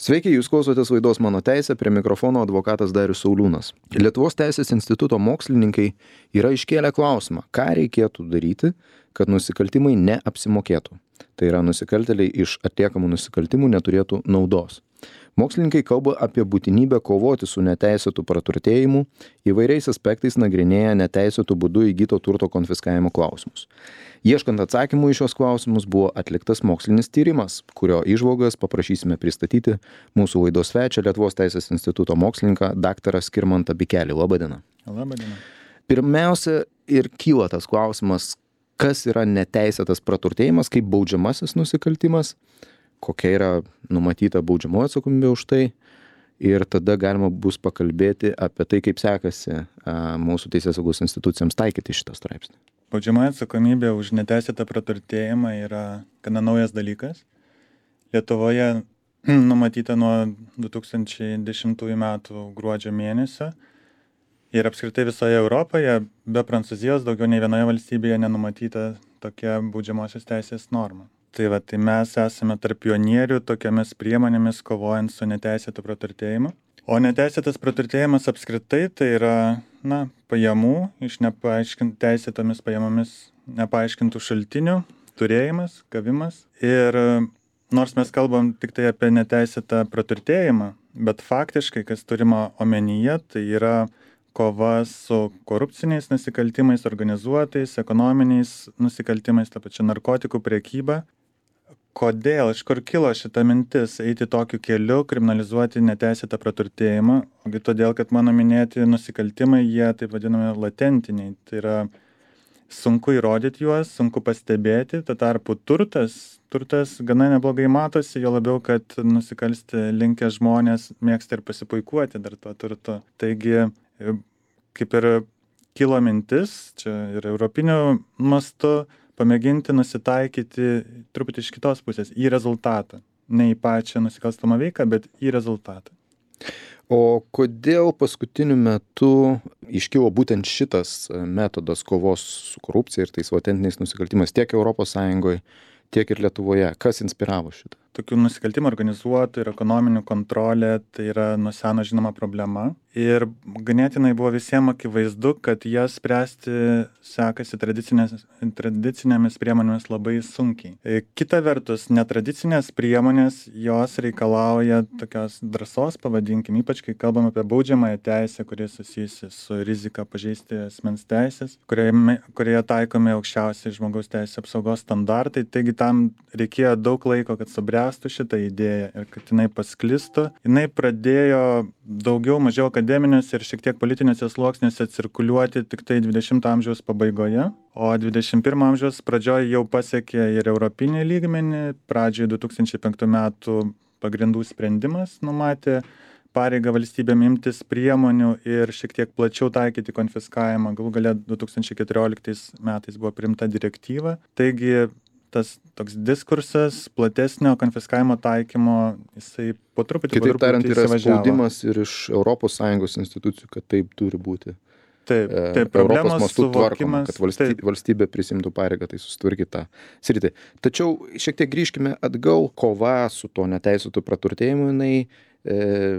Sveiki, jūs klausotės laidos Mano teisė, prie mikrofono advokatas Darius Sauliūnas. Lietuvos teisės instituto mokslininkai yra iškėlę klausimą, ką reikėtų daryti, kad nusikaltimai neapsimokėtų. Tai yra, nusikaltėliai iš atliekamų nusikaltimų neturėtų naudos. Mokslininkai kalba apie būtinybę kovoti su neteisėtu praturtėjimu, įvairiais aspektais nagrinėja neteisėtų būdų įgyto turto konfiskavimo klausimus. Ieškant atsakymų į šios klausimus buvo atliktas mokslinis tyrimas, kurio įžvalgas paprašysime pristatyti mūsų laidos svečią Lietuvos teisės instituto mokslininką dr. Skirmantą Bikelį. Labadiena. Labadiena. Pirmiausia ir kyla tas klausimas, kas yra neteisėtas praturtėjimas kaip baudžiamasis nusikaltimas, kokia yra numatyta baudžiamoji atsakomybė už tai ir tada galima bus pakalbėti apie tai, kaip sekasi mūsų teisėsaugos institucijams taikyti šitą straipsnį. Baudžiamoji atsakomybė už neteisėtą praturtėjimą yra gana naujas dalykas. Lietuvoje numatyta nuo 2010 metų gruodžio mėnesio ir apskritai visoje Europoje, be Prancūzijos, daugiau nei vienoje valstybėje nenumatyta tokia baudžiamosios teisės norma. Tai mes esame tarp pionierių tokiamis priemonėmis kovojant su neteisėtu praturtėjimu. O neteisėtas praturtėjimas apskritai tai yra pajamų iš teisėtomis pajamomis nepaaiškintų šaltinių turėjimas, gavimas. Ir nors mes kalbam tik tai apie neteisėtą praturtėjimą, bet faktiškai, kas turima omenyje, tai yra kova su korupciniais nusikaltimais, organizuotais, ekonominiais nusikaltimais, ta pačia narkotikų prekyba. Kodėl, iš kur kilo šita mintis eiti tokiu keliu, kriminalizuoti neteisėtą praturtėjimą? Ogi todėl, kad mano minėti nusikaltimai, jie taip vadinami latentiniai. Tai yra sunku įrodyti juos, sunku pastebėti, tuo tarpu turtas gana neblogai matosi, jo labiau, kad nusikalsti linkę žmonės mėgsta ir pasipuikuoti dar tuo turtu. Taigi, kaip ir kilo mintis, čia ir europiniu mastu, pamėginti nusitaikyti truputį iš kitos pusės, į rezultatą. Ne į pačią nusikalstamą veiką, bet į rezultatą. O kodėl paskutiniu metu iškilo būtent šitas metodas kovos su korupcija ir tais latentiniais nusikaltimais tiek ES, tiek ir Lietuvoje? Kas inspiravo šitą? Tokių nusikaltimų organizuotų ir ekonominių kontrolė tai yra nuo seno žinoma problema. Ir ganėtinai buvo visiems akivaizdu, kad jas spręsti sekasi tradicinėmis priemonėmis labai sunkiai. Kita vertus, netradicinės priemonės, jos reikalauja tokios drąsos, pavadinkim, ypač kai kalbam apie baudžiamąją teisę, kuri susijusi su rizika pažeisti asmens teisės, kurioje taikomi aukščiausi žmogaus teisės apsaugos standartai. Taigi tam reikėjo daug laiko, kad subręstų šitą idėją ir kad jinai pasklistų. Jinai pradėjo daugiau mažiau akademiniuose ir šiek tiek politinėse sluoksniuose cirkuliuoti tik tai 20 amžiaus pabaigoje, o 21 amžiaus pradžioje jau pasiekė ir europinį lygmenį. Pradžioje 2005 metų pagrindų sprendimas numatė pareigą valstybėm imtis priemonių ir šiek tiek plačiau taikyti konfiskavimą. Galų gale 2014 metais buvo priimta direktyva. Taigi tas toks diskursas platesnio konfiskavimo taikymo, jisai po truputį Kitaip tariant, yra spaudimas ir iš ES institucijų, kad taip turi būti. Taip, Europos mastu tvarkoma, kad taip. valstybė prisimtų pareigą, tai susitvarkyti tą sritį. Tačiau šiek tiek grįžkime atgal, kova su to neteisėtu praturtėjimu, jinai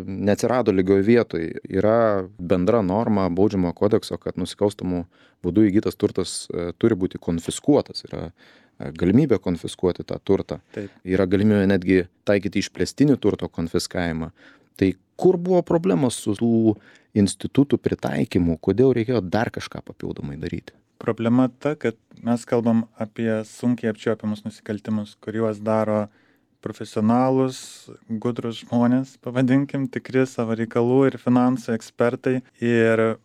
neatsirado lygioje vietoje. Yra bendra norma baudžiamojo kodekso, kad nusikalstamų būdų įgytas turtas turi būti konfiskuotas. Yra galimybė konfiskuoti tą turtą. Taip. Yra galimybė netgi taikyti išplėstinį turto konfiskavimą. Tai kur buvo problemos su tų institutų pritaikymu? Kodėl reikėjo dar kažką papildomai daryti? Problema ta, kad mes kalbam apie sunkiai apčiuopiamus nusikaltimus, kuriuos daro profesionalus, gudrus žmonės, pavadinkim, tikri savo reikalų ir finansų ekspertai. Ir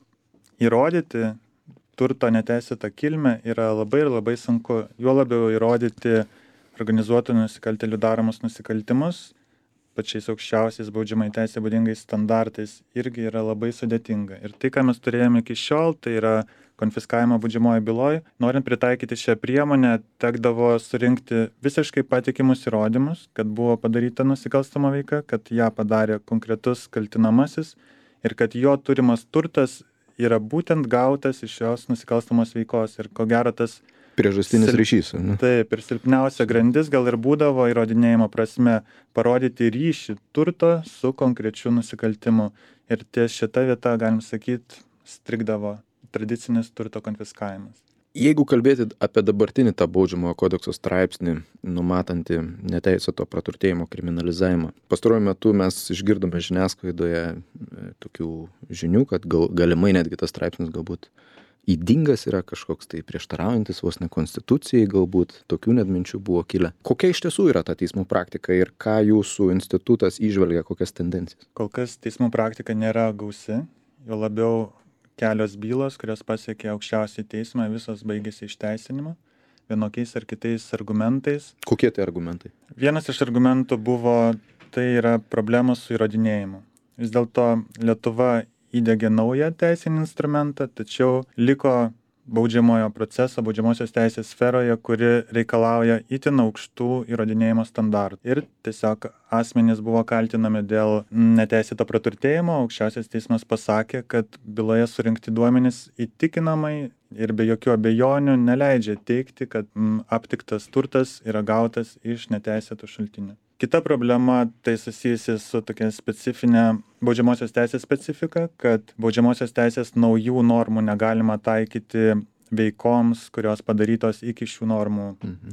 įrodyti turto neteisėtą kilmę yra labai sunku. Juo labiau įrodyti organizuotų nusikaltėlių daromus nusikaltimus pačiais aukščiausiais baudžiamai teisė būdingais standartais irgi yra labai sudėtinga. Ir tai, ką mes turėjome iki šiol, tai yra konfiskavimo baudžiamoje byloje. Norint pritaikyti šią priemonę, tekdavo surinkti visiškai patikimus įrodymus, kad buvo padaryta nusikalstama veika, kad ją padarė konkretus kaltinamasis ir kad jo turimas turtas yra būtent gautas iš šios nusikalstamos veikos. Ir ko gero tas Priežastinis ryšys. Taip, ir silpniausia grandis gal ir būdavo įrodinėjimo prasme parodyti ryšį turto su konkrečiu nusikaltimu. Ir ties šita vieta, galim sakyti, strigdavo tradicinis turto konfiskavimas. Jeigu kalbėti apie dabartinį tą baudžiamojo kodekso straipsnį, numatantį neteisėto praturtėjimo kriminalizavimą, pastaruoju metu mes išgirdome žiniasklaidoje tokių žinių, kad galimai netgi tas straipsnis galbūt ydingas yra, kažkoks tai prieštaraujantis vos ne konstitucijai, galbūt tokių net minčių buvo kilę. Kokia iš tiesų yra ta teismų praktika ir ką jūsų institutas įžvelgia, kokias tendencijas? Kol kas teismų praktika nėra gausi, jo labiau kelios bylos, kurios pasiekė aukščiausią teismą, visos baigėsi išteisinimu, vienokiais ar kitais argumentais. Kokie tai argumentai? Vienas iš argumentų buvo, tai yra problemos su įrodinėjimu. Vis dėlto Lietuva įdegė naują teisinį instrumentą, tačiau liko baudžiamojo proceso, baudžiamosios teisės sferoje, kuri reikalauja itin aukštų įrodinėjimo standartų. Ir tiesiog asmenys buvo kaltinami dėl neteisėto praturtėjimo. Aukščiausias teismas pasakė, kad byloje surinkti duomenys įtikinamai ir be jokių abejonių neleidžia teigti, kad aptiktas turtas yra gautas iš neteisėtų šaltinių. Kita problema tai susijusi su tokia specifinė baudžiamosios teisės specifika, kad baudžiamosios teisės naujų normų negalima taikyti veikoms, kurios padarytos iki šių normų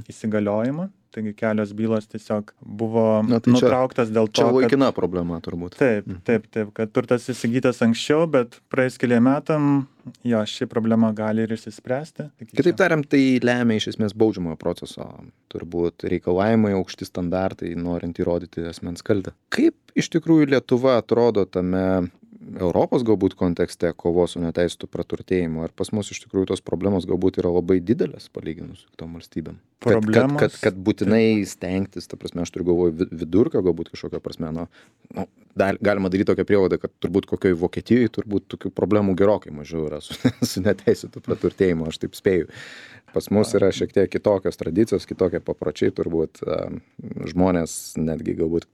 įsigaliojimo. Taigi kelios bylos tiesiog buvo nutrauktas dėl to, čia laikina problema turbūt. Taip, kad turtas įsigytas anksčiau, bet praėjus keliem metam, ši problema gali ir išsispręsti. Kitaip tariant, tai lemia iš esmės baudžiamojo proceso, turbūt reikalavimai, aukšti standartai, norint įrodyti asmens kaltę. Kaip iš tikrųjų Lietuva atrodo tame Europos galbūt kontekste kovos su neteisėtu praturtėjimu? Ar pas mus iš tikrųjų tos problemos galbūt yra labai didelės palyginus su kitom valstybėm? Kad būtinai stengtis, ta prasme, aš turiu galvoje vidurkio galbūt kažkokio prasme, galima daryti tokią prielaidą, kad turbūt kokioj Vokietijoje turbūt tokių problemų gerokai mažiau yra su neteisėtu praturtėjimu, aš taip spėju. Pas mus yra šiek tiek kitokios tradicijos, kitokie papročiai, turbūt žmonės netgi galbūt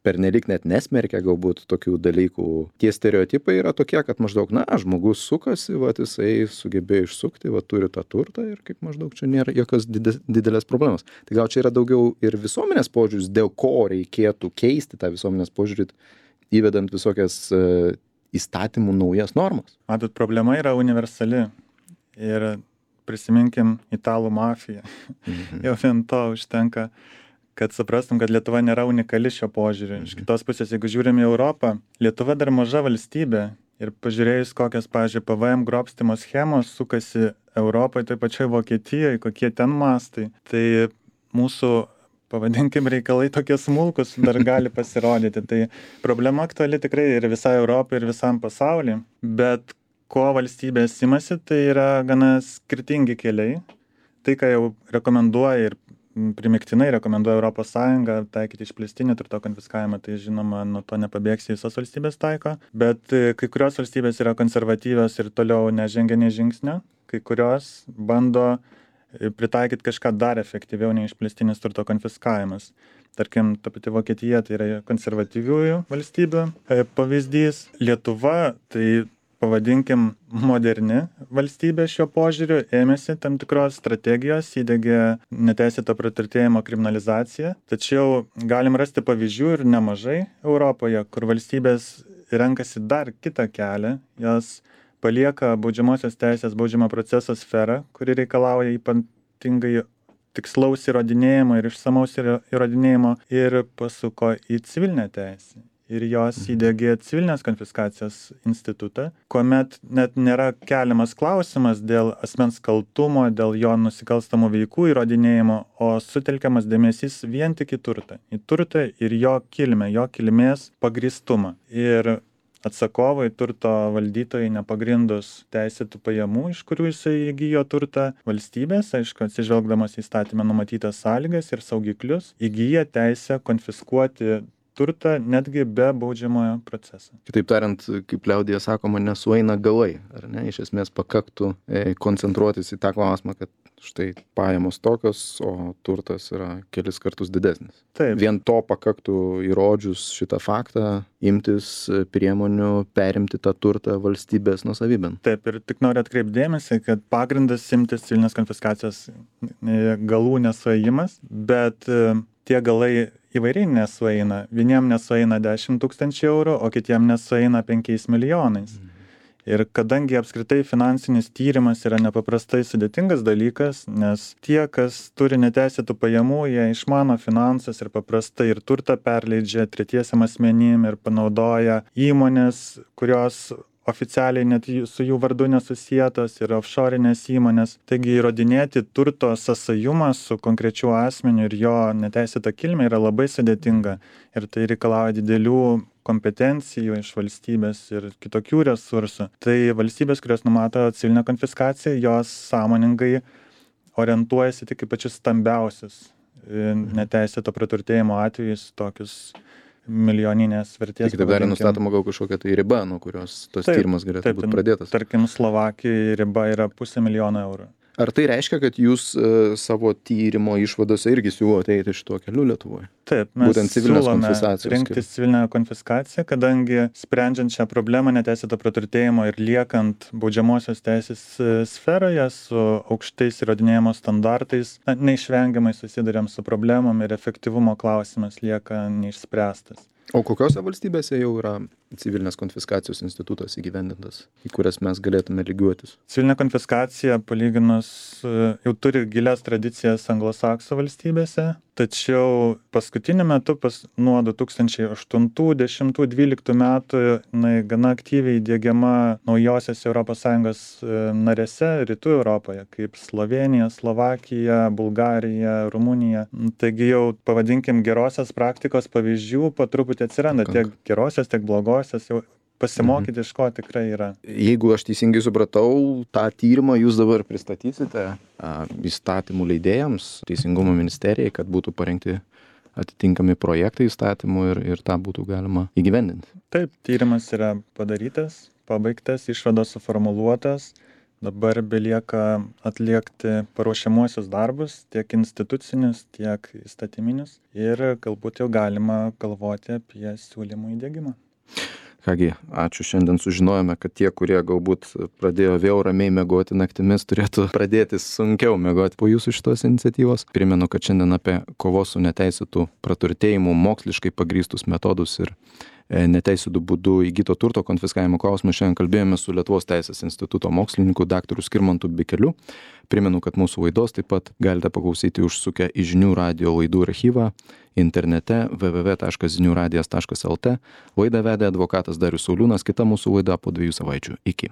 pernelyg net nesmerkia galbūt tokių dalykų. Tie stereotipai yra tokie, kad maždaug, žmogus sukasi, jisai sugebėjo išsukti, turi tą turtą ir kaip maždaug čia nėra jokios didelės problemos. Tai gal čia yra daugiau ir visuomenės požiūris, dėl ko reikėtų keisti tą visuomenės požiūrį, įvedant visokias įstatymų naujas normas. Matot, problema yra universali ir prisiminkim italų mafiją. Jau vien to užtenka, kad suprastum, kad Lietuva nėra unikali šio požiūriu. Iš kitos pusės, jeigu žiūrim į Europą, Lietuva dar maža valstybė ir pažiūrėjus, kokias, pavyzdžiui, PVM grobstymo schemos sukasi Europoje, tai pačioj Vokietijoje, kokie ten mastai, tai mūsų, pavadinkim, reikalai tokie smulkus dar gali pasirodyti. Tai problema aktuali tikrai ir visai Europai, ir visam pasauliui, bet ko valstybės imasi, tai yra gana skirtingi keliai. Tai, ką jau rekomenduoja ir primiktinai rekomenduoja Europos Sąjunga taikyti išplėstinį turto konfiskavimą, tai žinoma, nuo to nepabėgsi, visos valstybės taiko, bet kai kurios valstybės yra konservatyvios ir toliau nežengia nei žingsnio, kai kurios bando pritaikyti kažką dar efektyviau nei išplėstinis turto konfiskavimas. Tarkim, ta pati Vokietija, tai yra konservatyviųjų valstybių pavyzdys. Lietuva, tai pavadinkim moderni valstybė šiuo požiūriu, ėmėsi tam tikros strategijos, įdegė neteisėto praturtėjimo kriminalizaciją, tačiau galim rasti pavyzdžių ir nemažai Europoje, kur valstybės renkasi dar kitą kelią, jos palieka baudžiamosios teisės baudžiamo proceso sferą, kuri reikalauja ypatingai tikslaus įrodinėjimo ir išsamaus įrodinėjimo ir pasuko į civilinę teisę. Ir jos įdegė civilinės konfiskacijos institutą, kuomet net nėra keliamas klausimas dėl asmens kaltumo, dėl jo nusikalstamų veikų įrodinėjimo, o sutelkiamas dėmesys vien tik į turtą. Į turtą ir jo kilmę, jo kilmės pagrįstumą. Ir atsakovai, turto valdytojai, nepagrindus teisėtų pajamų, iš kurių jisai įgijo turtą, valstybės, aišku, atsižvelgdamas į įstatymę numatytas sąlygas ir saugiklius, įgyja teisę konfiskuoti turtą netgi be baudžiamojo proceso. Kitaip tariant, kaip liaudyje sakoma, nesueina galai, ar ne? Iš esmės pakaktų koncentruotis į tą klausimą, kad štai pajamos tokios, o turtas yra kelis kartus didesnis. Taip. Vien to pakaktų įrodžius šitą faktą imtis priemonių perimti tą turtą valstybės nuosavybėn. Taip, ir tik noriu atkreipti dėmesį, kad pagrindas imtis civilinės konfiskacijos galų nesuėjimas, bet tie galai įvairiai nesueina. Vieniem nesueina 10 000 eurų, o kitiem nesueina 5 milijonais. Ir kadangi apskritai finansinis tyrimas yra nepaprastai sudėtingas dalykas, nes tie, kas turi neteisėtų pajamų, jie išmano finansus ir paprastai ir turtą perleidžia tretiesiam asmenim ir panaudoja įmonės, kurios oficialiai net su jų vardu nesusietos ir offshore'inės įmonės. Taigi įrodinėti turto sąsajumą su konkrečiu asmeniu ir jo neteisėta kilmė yra labai sudėtinga. Ir tai reikalauja didelių kompetencijų iš valstybės ir kitokių resursų. Tai valstybės, kurios numato civilinę konfiskaciją, jos sąmoningai orientuojasi tik į pačius stambiausius neteisėto praturtėjimo atvejus, tokius milijoninės vertės. Tik taip dar nustatoma gal kažkokia tai riba, nuo kurios tas tyrimas galėtų būti pradėtas. Tarkim, Slovakijoje riba yra 500 000 eurų. Ar tai reiškia, kad jūs savo tyrimo išvadose irgi siūlote eiti šituo keliu Lietuvoje? Taip, mes siūlome rinktis civilinę konfiskaciją, kadangi sprendžiant šią problemą neteisėto praturtėjimo ir liekant baudžiamosios teisės sferoje su aukštais įrodinėjimo standartais, neišvengiamai susiduriam su problemom ir efektyvumo klausimas lieka neišspręstas. O kokiose valstybėse jau yra civilinės konfiskacijos institutas įgyvendintas, į kurias mes galėtume lygiuotis? Civilinė konfiskacija palyginus jau turi gilias tradicijas anglosaksų valstybėse, tačiau paskutiniu metu nuo 2008, 10, 12 metų gana aktyviai diegiama naujosios ES narėse rytų Europoje, kaip Slovėnija, Slovakija, Bulgarija, Rumunija. Taigi jau pavadinkim gerosios praktikos pavyzdžių po truputį atsiranda, tiek gerosios, tiek blogosios, jau pasimokyti iš ko tikrai yra. Jeigu aš teisingai supratau, tą tyrimą jūs dabar pristatysite įstatymų leidėjams, Teisingumo ministerijai, kad būtų parengti atitinkami projektai įstatymų ir tą būtų galima įgyvendinti. Taip, tyrimas yra padarytas, pabaigtas, išvados suformuluotas. Dabar belieka atliekti paruošiamuosius darbus, tiek institucinius, tiek įstatyminius. Ir galbūt jau galima galvoti apie siūlymų įdiegimą. Kągi, ačiū. Šiandien sužinojome, kad tie, kurie galbūt pradėjo vėl ramiai miegoti naktimis, turėtų pradėti sunkiau miegoti po jūsų šitos iniciatyvos. Primenu, kad šiandien apie kovos su neteisėtų praturtėjimu moksliškai pagrįstus metodus ir neteisėtų būdų įgyto turto konfiskavimo klausimą šiandien kalbėjome su Lietuvos teisės instituto mokslininku daktaru Skirmantu Bikeliu. Primenu, kad mūsų laidos taip pat galite paklausyti užsukę į Žinių radijo laidų archyvą internete www.ziniuradijas.lt. Laidą vedė advokatas Darius Sauliūnas, kita mūsų laida po 2 savaičių. Iki.